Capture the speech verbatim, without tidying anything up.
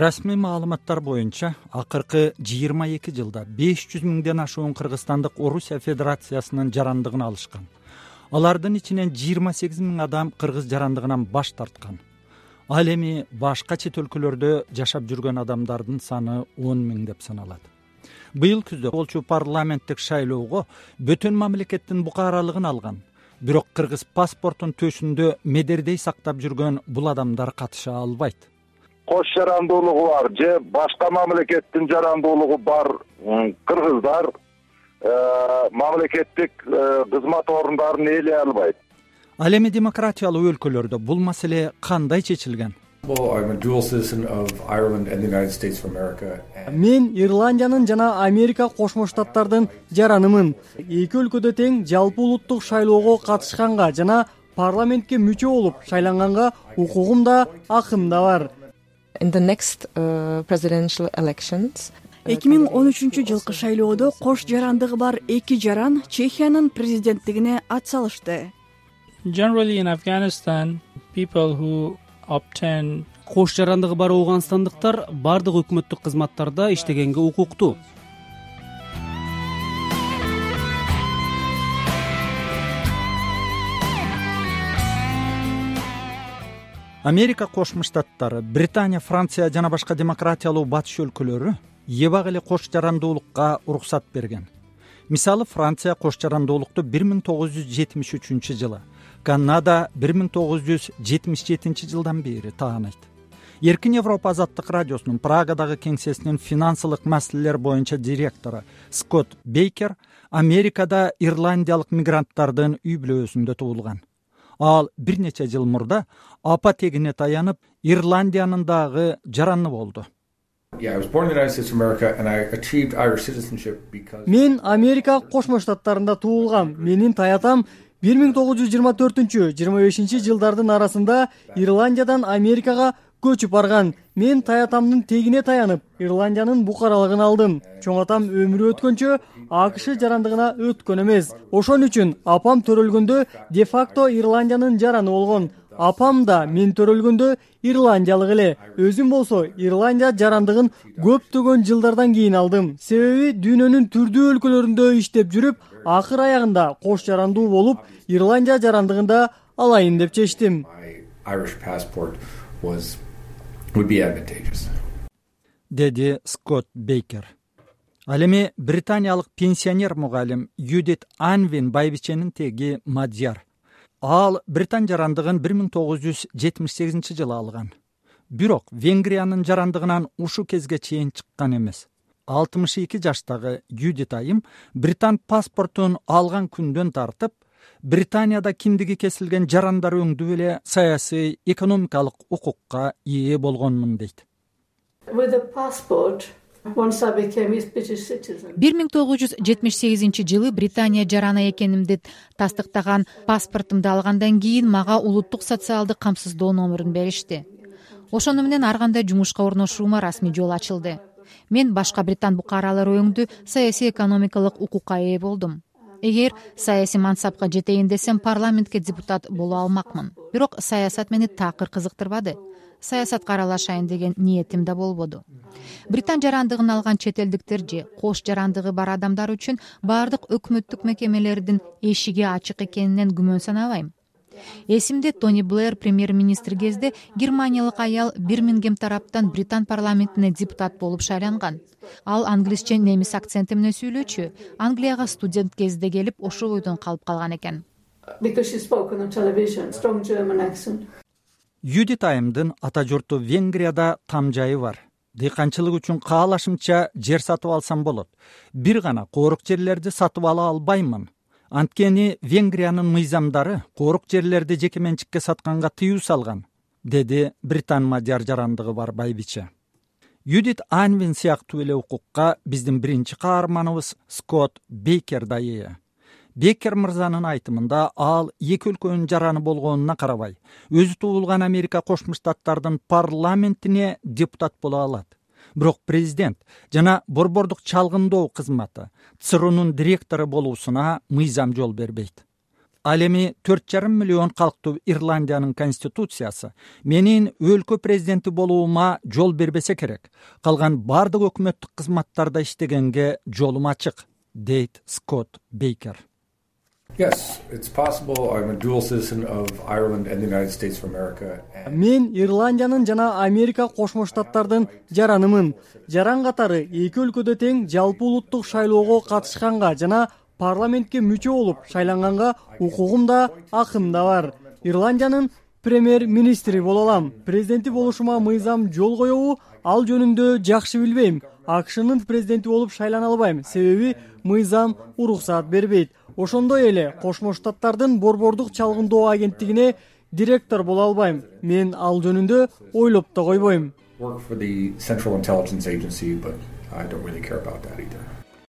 Расмий маалыматтар боюнча акыркы жыйырма эки жылда беш жүз миңден ашуун кыргызстандык Орусия Федерациясынын жарандыгын алышкан. Алардын ичинен жыйырма сегиз миң адам кыргыз жарандыгынан баш тарткан. Ал эми башка чет өлкөлөрдө жашап жүргөн адамдардын саны он миң деп саналат. Быйыл күздө болчу парламенттик шайлоого бөтөн мамлекеттин букаралыгын алган. Бирок кыргыз паспортун төшүндө медердей сактап жүргөн бул адамдар катыша албайт. Кош жарандуулугу бар же башка мамлекеттин жарандуулугу бар кыргыздар мамлекеттик кызмат орундарын ээлей албайт. Ал эми демократиялуу өлкөлөрдө бул маселе кандай чечилген? Мен Ирландиянын жана Америка Кошмо Штаттардын жаранымын. Эки өлкөдө тең жалпы улуттук шайлоого катышканга жана парламентке мүчө болуп шайланганга укугум да, акым да бар. In the next uh, presidential elections, эки миң он үчүнчү жылкы шайлоодо кош жарандыгы бар эки жаран Чехиянын президенттигине ат салышты. Generally in Afghanistan, people who obtain кош жарандыгы бар ооганстандыктар бардык өкмөттүк кызматтарда иштегенге укуктуу. Америка Кошмо Штаттары, Британия, Франция жана башка демократиялуу батыш өлкөлөрү эбак эле кош жарандуулукка уруксат берген. Мисалы, Франция кош жарандуулукту бир миң тогуз жүз жетимиш үчүнчү жылы, Канада бир миң тогуз жүз жетимиш жетинчи жылдан бери таанайт. Эркин Европа азаттык радиосунун Прагадагы кеңсесинин финансылык маселелер боюнча директору Скотт Бейкер Америкада ирландиялык мигранттардын үй бүлөсүндө туулган. Ал бир нече жыл мурда апа тегине таянып, Ирландиянын дагы жараны болду. Мен Америка Кошмо Штаттарында туулгам. Менин таятам бир миң тогуз жүз жыйырма төртүнчү — жыйырма бешинчи жылдардын арасында Ирландиядан Америкага көчүп барган. Мен таятамдын тегине таянып, Ирландиянын букаралыгын алдым. Чоң атам өмүрү өткөнчө АКШ жарандыгына өткөн эмес. Ошон үчүн апам төрөлгөндө де-факто Ирландиянын жараны болгон. Апам да мен төрөлгөндө ирландиялык эле. Өзүм болсо Ирландия жарандыгын көптөгөн жылдардан кийин алдым. Себеби дүйнөнүн түрдүү өлкөлөрүндө иштеп жүрүп, акыр аягында кош жарандуу болуп, Ирландия жарандыгында алайын деп чечтим. Деди Скотт Бейкер. Ал эми британиялык пенсионер мугалим Юдит Анвин байбиченин теги мадьяр. Ал Британ жарандыгын бир миң тогуз жүз жетимиш сегизинчи жылы алган. Бирок Венгриянын жарандыгынан ушу кезге чейин чыккан эмес. алтымыш эки жаштагы Юдит айым Британ паспортун алган күндөн тартып, Британияда киндиги кесилген жарандар өңдүп эле саясий, экономикалык укукка ээ болгонмун дейт. бир миң тогуз жүз жетимиш сегизинчи жылы Британия жараны экенимди тастыктаган паспортумду алгандан кийин мага улуттук социалдык камсыздоо номерин беришти. Ошону менен ар кандай жумушка орношуума расмий жол ачылды. Мен башка британ букаралары өңдү саясий экономикалык укукка ээ болдум. Эгер саясий мансапка жетейин десем, парламентке депутат боло алмакмын. Бирок саясат мени такыр кызыктырбады. Саясатка аралашайын деген ниетим да болбоду. Британ жарандыгын алган чет элдиктер же кош жарандыгы бар адамдар үчүн бардык өкмөттүк мекемелердин эшиги ачык экенинен күмөн санабайм. Эсимде Тони Блэр премьер-министр кезде германиялык аял Бирмингем тараптан Британ парламентине депутат болуп шайланган. Ал англисче немис акценти менен сүйлөөчү. Англияга студент кезде келип, ошол бойдон калып калган экен. Юдит айымдын ата журту Венгрияда там жайы бар. Дыйканчылык үчүн каалашымча жер сатып алсам болот. Бир гана коорук жерлерди сатып ала албаймын. Анткени Венгриянын мыйзамдары коорук жерлерди жеке менчикке сатканга тыюу салган, деди Британ мадьяр жарандыгы бар байбиче. Юдит Анвин сыяктуу эле укукка биздин биринчи каарманыбыз Скотт Бейкер да ээ. Бейкер мырзанын айтымында ал эки өлкөнүн жараны болгонуна карабай, өзү туулган Америка Кошмо Штаттардын парламентине депутат боло алат. Бирок президент жана борбордук чалгындоо кызматы ЦРУнун директору болуусуна мыйзам жол бербейт. ал эми төрт жарым миллион калктуу Ирландиянын конституциясы менин өлкө президенти болуума жол бербесе керек. Калган бардык өкмөттүк кызматтарда иштегенге жолум ачык, дейт Скотт Бейкер. Yes, it's possible. I'm a dual citizen of Ireland and the United States of America. Мен Ирландиянын жана Америка Кошмо Штаттардын жаранымын. Жаран катары эки өлкөдө тең жалпы улуттук шайлоого катышканга жана парламентке мүчө болуп шайланганга укугум да, акым да бар. Ирландиянын премьер-министри боло алам. Президенти болушума мыйзам жол коебу, ал жөнүндө жакшы билбейм. АКШнын президенти болуп шайлана албайм, себеби мыйзам уруксаат бербейт. Ошондой эле Кошмо Штаттардын борбордук чалгындоо агенттигине директор боло албайм. Мен ал жөнүндө ойлоп да койбойм. Work for the Central Intelligence Agency, but I don't really care about that either.